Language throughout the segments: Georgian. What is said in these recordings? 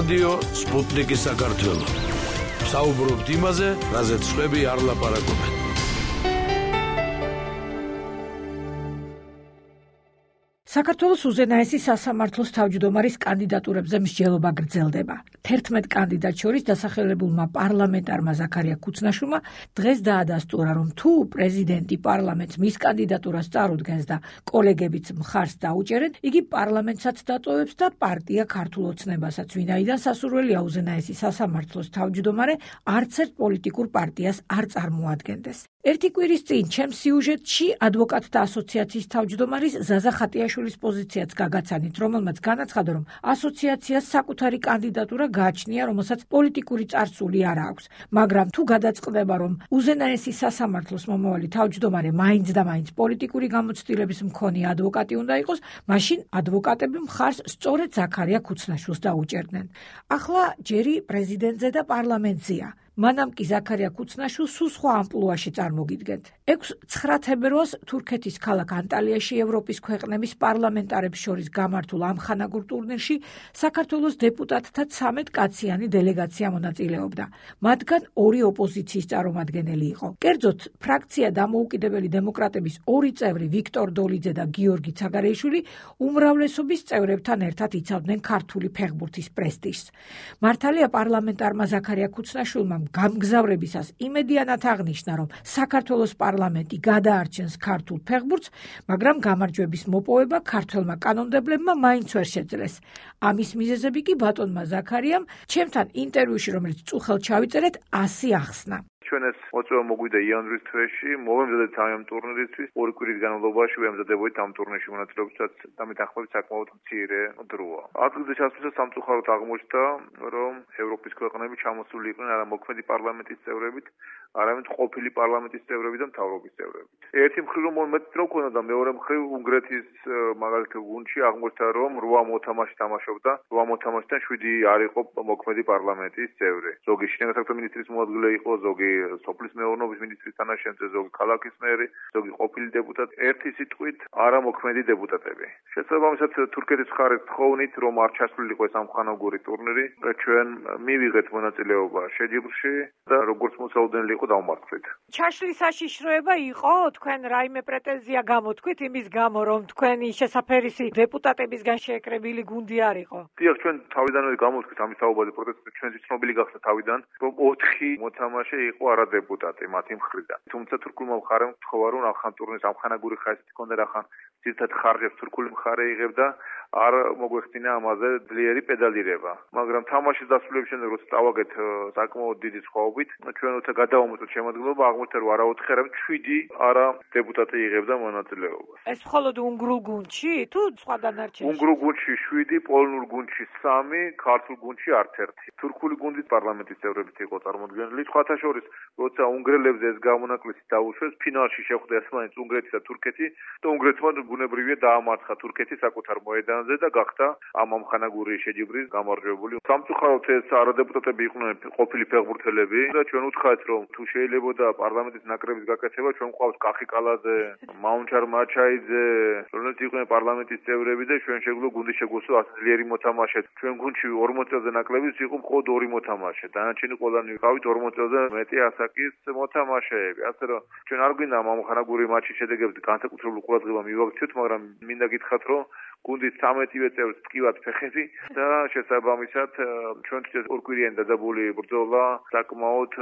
რადიო სპუტნიკი საქართველო. საუბრობთ იმაზე, რაზეც სხვები არ ლაპარაკობენ. საქართველოს უზენაესი სასამართლოს თავმჯდომარის კანდიდატურებზე მსჯელობა გრძელდება. 11 კანდიდატ შორის დასახელებულმა პარლამენტარმა ზაქარია ქუცნაშვილმა დღეს დაადასტურა, რომ თუ პრეზიდენტი პარლამენტს მის კანდიდატურას წარუდგენს და კოლეგებიც მხარს დაუჭერენ, იგი პარლამენტსაც დატოვებს და პარტია ქართულ ოცნებასაც, ვინაიდან სასურველია უზენაესი სასამართლოს თავმჯდომარე არც ერთ პოლიტიკურ პარტიას არ წარმოადგენდეს. ერთი კვირის წინ ჩემს სიუჟეტში ადვოკატთა ასოციაციის თავმჯდომარის ზაზა ხატიაშვილის პოზიციაც გაგაცანით, რომელმაც განაცხადა, რომ ასოციაციას საკუთარი კანდიდატურა გააჩნია, რომელსაც პოლიტიკური წარსული არ აქვს. მაგრამ თუ გადაწყდება, რომ უზენაესი სასამართლოს მომავალი თავმჯდომარე მაინც და მაინც პოლიტიკური გამოცდილების მქონე ადვოკატი უნდა იყოს, მაშინ ადვოკატები მხარს სწორედ ზაქარია ქუცნაშვილს დაუჭერდნენ. ახლა ჯერი პრეზიდენტზე და პარლამენტზეა. მანამ კი ზაქარია ქუცნაშვილს სულ სხვა ამპლუაში წარმოგიდგენთ. 6-9 თებერვალს თურქეთის ქალაქ ანტალიაში ევროპის ქვეყნების პარლამენტარებს შორის გამართულ ამხანაგურ ტურნირში საქართველოს დეპუტატთა 13 კაციანი დელეგაცია მონაწილეობდა. მათგან 2 ოპოზიციის წარმომადგენელი იყო. კერძოდ, ფრაქცია დამოუკიდებელი დემოკრატების 2 წევრი ვიქტორ დოლიძე და გიორგი ცაგარეიშვილი უმრავლესობის წევრებთან ერთად იცავდნენ ქართული ფეხბურთის პრესტიჟს. მართალია პარლამენტარმა ზაქარია ქუცნაშვილმა გამგზავრებისას იმედიანად აღნიშნა, რომ საქართველოს პარლამენტი გადაარჩენს ქართულ ფეხბურთს, მაგრამ გამარჯვების მოპოვება ქართველმა კანონმდებლებმა მაინც ვერ შეძლეს. ამის მიზეზები კი ბატონმა ზაქარიამ ჩემთან ინტერვიუში, რომელიც წუხელ ჩავიწერეთ, ასე ახსნა. ჩვენ ეს მოწვევა მოგვიდა იანვრის თვეში, მოვემზადეთ ამ ტურნირისთვის, 2 კვირის განმავლობაში ვემზადებოდით ამ ტურნირში მონაწილეობისას და მეთანხმებით საკმაოდ მცირე დროა. ადგილზე ჩასვლისას სამწუხაროდ აღმოჩნდა, რომ ევროპის ქვეყნები ჩამოსული იყვნენ არა მოქმედი პარლამენტის წევრებით, არამედ ყოფილი პარლამენტის წევრები და მთავრობის წევრები. ერთი მხრივ რომ მეტი დრო ქონდა და მეორე მხრივ უნგრეთის მაგალითად გუნდში აღმოჩნდა, რომ 8 მოთამაშე თამაშობდა, 8 მოთამაშიდან 7 არ იყო მოქმედი პარლამენტის წევრი. ზოგი შინაგან საქმეთა მინისტრის მოადგილე იყო, ზოგი სოფლის მეურნეობის მინისტრის თანაშემწე, ზოგი ქალაქის მერი, ზოგი ყოფილი დეპუტატი, ერთი სიტყვით არა მოქმედი დეპუტატები. შესაბამისად თურქეთის მხარეს თხოვნით, რომ არ ჩასულიყო ეს ამხანაგური ტურნირი, ჩვენ მივიღეთ მონაწილეობა შეჯიბრში და როგორც მოსაუდენელი იყო დავმართვით. ჩაშლის საშიშროება იყო, თქვენ რაიმე პრეტენზია გამოთქვით იმის გამო, რომ თქვენი შესაფერისი დეპუტატებისგან შეეკრებილი გუნდი არ იყო? დიახ, ჩვენ თავიდანვე გამოთქვით ამის საუბარი პროტესტი, ჩვენც ცნობილი გახდა თავიდან, რომ 4 მოთამაშე იყო არა დეპუტატი მათი მხრიდან. თუმცა თურქულმა მხარემ თხოვა, რომ ახან ტურნირის ამხანაგური ხასიათი ჰქონდა, რახან ძირითად ხარჯებს თურქული მხარე იღებდა, არ მოგვეხდინა ამაზე ძლიერი პედალირება. მაგრამ თამაშის დასრულების შემდეგ, როცა წავაგეთ საკმაოდ დიდი სხვაობით, ჩვენ როცა გადავამოწმეთ შემოადგენლობა, აღმოჩნდა, რომ არა 4, არამედ 7 არა დეპუტატი იღებდა მონაწილეობას. ეს მხოლოდ უნგრულ გუნდში თუ სხვა დანარჩენში? უნგრულ გუნდში 7, პოლონურ გუნდში 3, ქართულ გუნდში არც 1. თურქული გუნდის პარლამენტის წევრებით იყო წარმოდგენილი. სხვათა შორის, როცა უნგრელებზე ეს გამონაკლისი დაუშვეს, ფინალში შეხვდა ერთმანეთს უნგრეთი და თურქეთი და უნგრეთმა ბუნებრივია დაამარცხა თურქეთი საკუთარ მოედანზე და გახდა ამ ამხანაგური შეჯიბრის გამარჯვებული. სამწუხაროდ ეს არადეპუტატები იყვნენ ყოფილი ფეხბურთელები და ჩვენ უცხაეთ, რომ თუ შეიძლებოდა პარლამენტის ნაკრების გაკეთება, ჩვენ გვყავს კახიკალაძე, მაუნჩარ მაჩაიძე, რომლებიც იყვნენ პარლამენტის წევრები და ჩვენ შეგვიძლია გუნდის შეგვესვა ასე ძლიერი მოთამაშე. ჩვენ გუნდში 40 წელზე ნაკლებიც იყო მხოლოდ 2 მოთამაშე. დანარჩენი ყველანი ვიყავით 40 წელზე მეტი ასაკის მოთამაშეები. ასე რომ ჩვენ არ გვინდა ამ ამხანაგური მატჩის შედეგებზე განსაკუთრებული ყურადღება მივაქციოთ, მაგრამ მინდა გითხრათ, რომ გუნდის 13-ვე წევრს ტკივათ ფეხები და შესაბამისად ჩვენთვის ეს 2 კვირიანი დადებული ბრძოლა საკმაოდ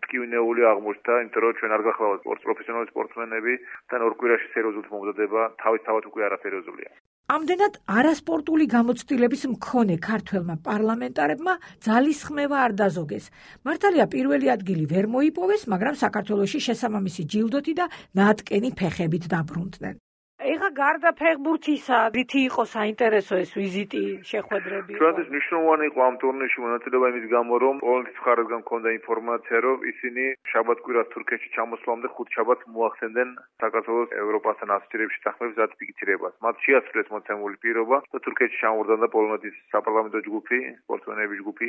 ტკივნეული აღმოჩნდა, იმიტომ რომ ჩვენ არ გახლავთ პროფესიონალი სპორტსმენები და 2 კვირაში სერიოზულად მომზადება თავისთავად უკვე არასერიოზულია. ამდენად არასპორტული გამოცდილების მქონე ქართველმა პარლამენტარებმა ძალისხმევა არ დაზოგეს. მართალია პირველი ადგილი ვერ მოიპოვეს, მაგრამ საქართველოში შესაბამისი ჯილდოთი და ნატკენი ფეხებით დაბრუნდნენ. ეხა გარდა ფეხბურთისა, რითი იყო საინტერესო ეს ვიზიტი, შეხვედრები? ჩვენთვის მნიშვნელოვანი იყო ამ ტურნირში მონაწილეობა იმის გამო, რომ პოლონეთის მხარესგან მქონდა ინფორმაცია, რომ ისინი შაბათ-კვირას თურქეთში ჩამოსვლამდე 5 შაბათს მოახსენდნენ საქართველოს ევროპასთან ასოცირების შეთანხმების რატიფიცირებას. მათ შეასრულეს მოცემული პირობა და თურქეთში ჩამოვარდნა და პოლონეთის საპარლამენტო ჯგუფი, სპორტსმენების ჯგუფი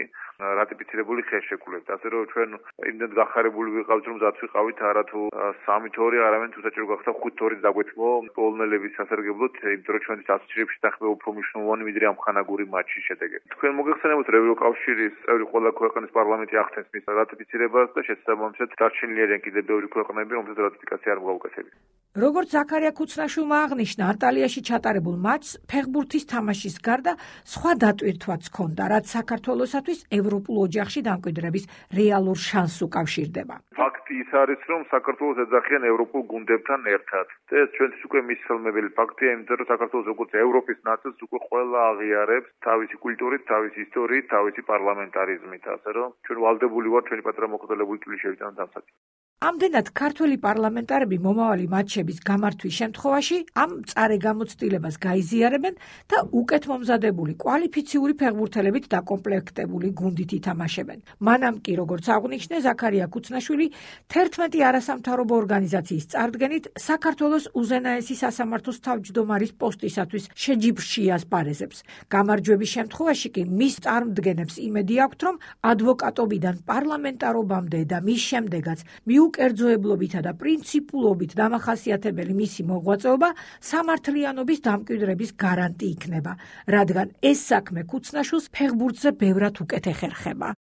რატიფიცირებული ხელშეკრულებით. ასე რომ ჩვენ იმდენ გახარებული ვიყავით, რომ ზათ ვიყავით არა თუ 3-2, არამედ თუ საჭირო გახდა 5-2 დაგვეთმო პოლონელების სასარგებლოდ, იმიტომ რომ ჩვენთვის ასოციაციებში დახება უფრო მნიშვნელოვანი ვიდრე ამ ხანაგური მატჩის შედეგები. თქვენ მოგეხსენებათ, რომ ევროკავშირის წევრი ყველა ქვეყნის პარლამენტი ახდენს მის რატიფიცირებას და შესაბამისად დარჩენილი არიან კიდევ ბევრი ქვეყნები, რომელთაც რატიფიკაცია არ მოუგებია. როგორც ზაქარია ქუცნაშვილმა აღნიშნა, ანტალიაში ჩატარებულ მატჩს ფეხბურთის თამაშის გარდა სხვა დატვირთვაც ჰქონდა, რაც საქართველოსათვის ევროპულ ოჯახში დამკვიდრების რეალურ შანსს უკავშირდება. ფაქტი ის არის, რომ საქართველოს ეძახიან ევროპულ გუნდებთან ერთად. და ეს ჩვენთვის უკვე მისხელმებელი ფაქტია, იმიტომ რომ საქართველოს როგორც ევროპის ნაწილს უკვე ყველა აღიარებს თავისი კულტურით, თავისი ისტორიით, თავისი პარლამენტარიზმით, ასე რომ ჩვენ ვალდებული ვართ ჩვენი პატრა მოხდელებული წვლილი შევიტანოთ ამ საკითხს. ამდენად ქართველი პარლამენტარები მომავალი მატჩების გამართვის შემთხვევაში ამ მწარე გამოცდილებას გაიზიარებენ და უკეთ მომზადებული კვალიფიციური ფეხბურთელებით დაკომპლექტებული გუნდით ითამაშებენ. მანამ კი, როგორც აღნიშნე ზაქარია ქუცნაშვილი, 11 არასამთავრობო ორგანიზაციის წარდგენით საქართველოს უზენაესი სასამართლოს თავმჯდომარის პოსტისათვის შეჯიბრში ასპარეზებს. გამარჯვების შემთხვევაში კი მის წარმდგენებს იმედი აქვთ, რომ ადვოკატობიდან პარლამენტარობამდე და მის შემდეგაც კერძოებლობითა და პრინციპულობით დამახასიათებელი მისი მოღვაწეობა სამართლიანობის დამკვიდრების გარანტი იქნება, რადგან ეს საქმე ქუცნაშვილს ფეხბურთზე ბევრად უკეთ ეხერხება.